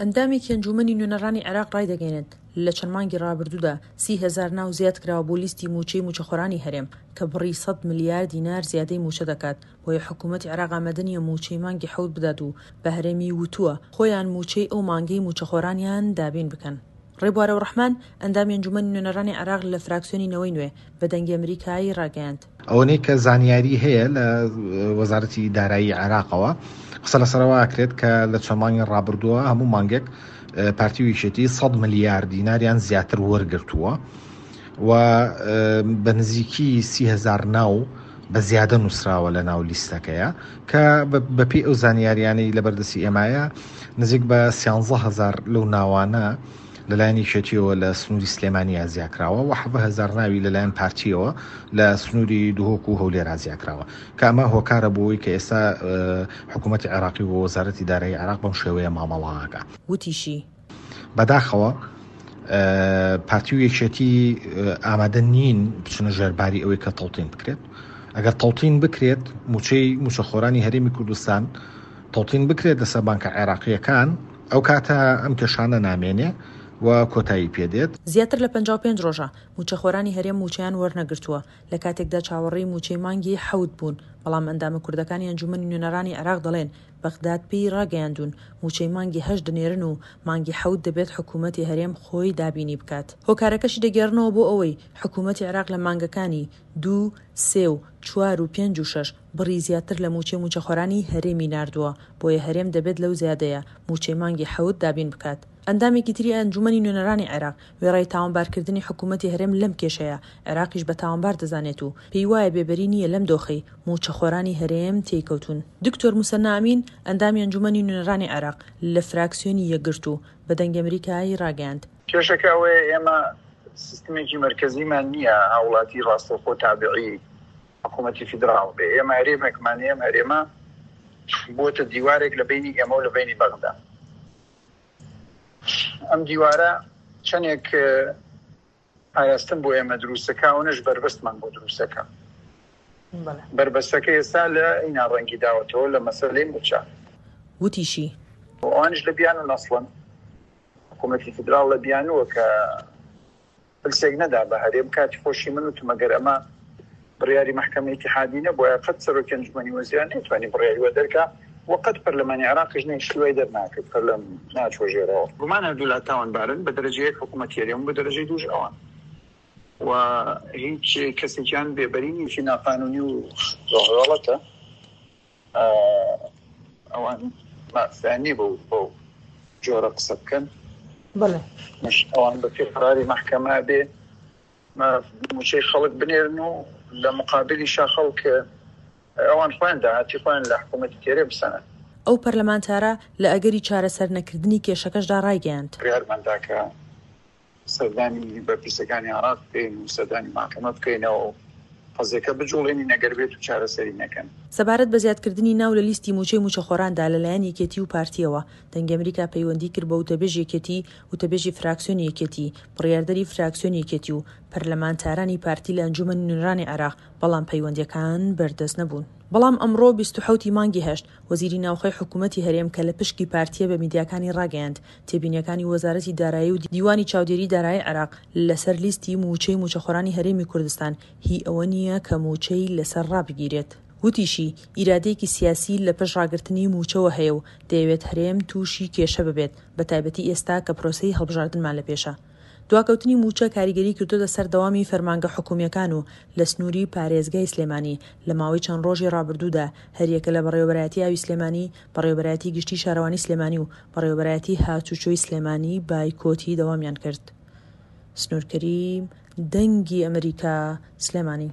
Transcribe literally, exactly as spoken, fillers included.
ئەندامێکی ئەنجوومەنی نوێنەرانی عێراق ڕایدەگەیەنێت، لە چەند مانگی ڕابردوودا سی هەزار ناو زیادکراوە بۆ لیستی مووچەی مووچەخۆرانی هەرێم، کە بڕی سەد ملیار دینار زیادەی مووچە دەکات، بۆیە حکوومەتی عێراق ئامادە نییە مووچەی مانگی حەوت بدات و بە هەرێمی وتووە خۆیان مووچەی ئەو مانگەی مووچەخۆرانیان دابین بکەن. ڕێبوار ئەوڕەحمان، ئەندامی ئەنجوومەنی نوێنەرانی عێراق لە فراکسیۆنی نەوەی نوێ، بە دەنگی ئەمریکای ڕاگەیاند. ئەوەنەی کە زانیاری هەیە لە وەزارەتی دارایی عێراقەوە قسە لەسەرەوە ئەکرێت کە لە چەند مانگی ڕابردووە هەموو مانگێک پارتی و یەکێتی سەد ملیار دیناریان زیاتر وەرگرتووە و بە نزیکی سی هەزار ناو بە زیادە نووسراوە لە ناو لیستەکەیە کە بەپێی ئەو زانیاریانەی لەبەردەستی ئێمایە نزیک بە سیانزە هەزار لەو ناوانە لەلایەن یەکێتیەوە لە سنووری سلێمانی ئازیاکراوە و حەڤدە هەزار ناوی لەلایەن پارتیەوە لە سنووری دهۆک و هەولێر ئازیاکراوە کە ئەمە هۆکارە بۆ ئەوەی کە ئێستا حکوومەتی عێراقی و وەزارەتی دارایی عێراق بەم شێوەیە مامەڵەکە. وتیشی، بەداخەوە پارتی و یەکێتی ئامادە نین بچنە ژێرباری ئەوەی کە تەوتین بکرێت. ئەگەر تەوتین بکرێت موچەی موچەخۆرانی هەرێمی کوردستان تەوتین بکرێت لەسەر بانکە عێراقیەکان، ئەو کاتە ئەم کێشانە نامێنێ و کۆتایی پێدێت. زیاتر لە پەنجا و پێنج ڕۆژە مووچەخۆرانی هەرێم مووچەیان وەرنەگرتووە، لە کاتێکدا چاوەڕێی مووچەی مانگی حەوت بوون، بەڵام ئەندامە کوردەکانی ئەنجوومەنی نوێنەرانی عێراق دەڵێن بەغداد پێی ڕاگەیاندوون مووچەی مانگی هەشت دەنێرن و مانگی حەوت دەبێت حکوومەتی هەرێم خۆی دابینی بکات. هۆکارەکەشی دەگێڕنەوە بۆ ئەوەی حکوومەتی عێراق لە مانگەکانی دوو، سێ و چوار و پێنج و شەش بڕی زیاتر لە مووچەی مووچەخۆرانی هەرێمی ناردووە، بۆیە هەرێم دەبێت لەو زیادەیە مووچەی مانگی حەوت دابین بکات. ئەندامێکی تری ئەنجوومەنی نوێنەرانی عێراق وێڕای تاوانبارکردنی حکوومەتی هەرێم لەم کێشەیە، عێراقیش بە تاوانبار دەزانێت و پێی وایە بێبەری نییە لەم دۆخەی مووچەخۆرانی هەرێم تێیکەوتوون. دکتۆر موسەننا ئەمین، ئەندامی ئەنجوومەنی نوێنەرانی عێراق لە فراکسیۆنی یەکگرتوو، بە دەنگی ئەمریکای ڕاگەیاند، کێشەکە ئەوەیە ئێمە سیستمێکی مەرکەزیمان نییە هاوڵاتی ڕاستەوخۆ تابعی حکوومەتی فیدراڵ بێ. ئێمە هەرێمێکمان هەیە، ئەم هەرێمە بۆتە دیوارێک لە بەینی ئێمە و لە بەینی بەغدا. ئەم دیوارە چەندێک پاراستن بۆ ئێمە دروستەکە، ئەوەنەش بەربەستمان بۆ دروستەکە. بەربەستەکە ئێستا لە ئینا ڕەنگی داوەتەوە لە مەسەلەی مووچە. وتیشی، ئەوانیش لە بیان و نەسڵن، حکوومەتی فیدراڵ لە بیانووە کە پلسێک نەدا بە هەرێم. کاتی خۆشی من وتم ئەگەر ئەمە بڕیاری مەحکەمەی ئیتیحادی نەبووایە قەت سەرۆکی ئەنجومەنی وەزیران نەیتوانی بڕیاری وە دەرکا و قەت پەرلەمانی عێراقیش نەیشتی وای دەرناکرد، پەرلەم ناچوە ژێرەوە. گومان هەردوولا تاوانبارن، بە دەرەجە یەک حکوومەتی هەرێم و بە دەرەجەی دووش ئەوان و هیچ کەسێکیان بێبەری نییە. ناقانونی و غەڵەتە، ئەوان مافیان نییە بەو بەو جۆرە قسە بکەن. بەڵێ مش ئەوان بە پێی قەراری مەحکەمە بێ مووچەی خەڵک بنێرن و لە مقابلیشا خەڵک ئەوان خۆیان داهاتی خۆیان لە حکوومەتی تێرێ بسەنن. ئەو پەرلەمانتارە لە ئەگەری چارەسەر نەکردنی کێشەکەشدا ڕایگەیاند، بڕیارمان دا کە سەردانی بەرپرسەکانی عێراق بکەین و سەردانی مەحکەمە بکەینەوە و قەزیەکە بجوڵێنین ئەگەر بێت و چارەسەری نەکەن. سەبارەت بە زیادکردنی ناو لە لیستی مووچەی مووچەخۆراندا لەلایەن یەکێتی و پارتییەوە، دەنگی ئەمریکا پەیوەندی کرد بە وتەبێژی یەکێتی، وتەبێژی فراکسیۆنی یەکێتی، بڕیاردەری فراکسیۆنی یەکێتی و پەرلەمانتارانی پارتی لە ئەنجوومەنی نوێنەرانی عێراق، بەڵام پەیوەندییەکان بەردەست نەبوون. بەڵام ئەمڕۆ بیست و حەوت ی مانگی هەشت، وەزیری ناوخۆی حکوومەتی هەرێم کە لە پشکی پارتییە بە میدیاکانی ڕاگەیاند، تێبینییەکانی وەزارەتی دارایی و دیوانی چاودێری دارایی عێراق لەسەر لیستی مووچەی مووچەخۆرانی هەرێمی کوردستان هی ئەوە نییە کە مووچەی لەسەر ڕابگیرێت. وتیشی، ئیرادەیەکی سیاسی لە پشت ڕاگرتنی مووچەوە هەیە و دەیەوێت هەرێم تووشی کێشە ببێت، بەتایبەتی ئێستا کە پرۆسەی هەڵبژاردنمان لە پێشە. دواکەوتنی مووچە کاریگەری کردۆتە سەر دەوامی فەرمانگە حکومییەکان و لە سنووری پارێزگای سلێمانی لە ماوەی چەند ڕۆژی ڕابردوودا هەریەکە لە بەڕێوەبەرایەتی ئاوی سلێمانی، بەڕێوەبەرایەتی گشتی شارەوانی سلێمانی و بەڕێوەبەرایەتی هاتوچۆی سلێمانی بایکۆتی دەوامیان کرد. سنوور کەریم، دەنگی ئەمریکا، سلێمانی.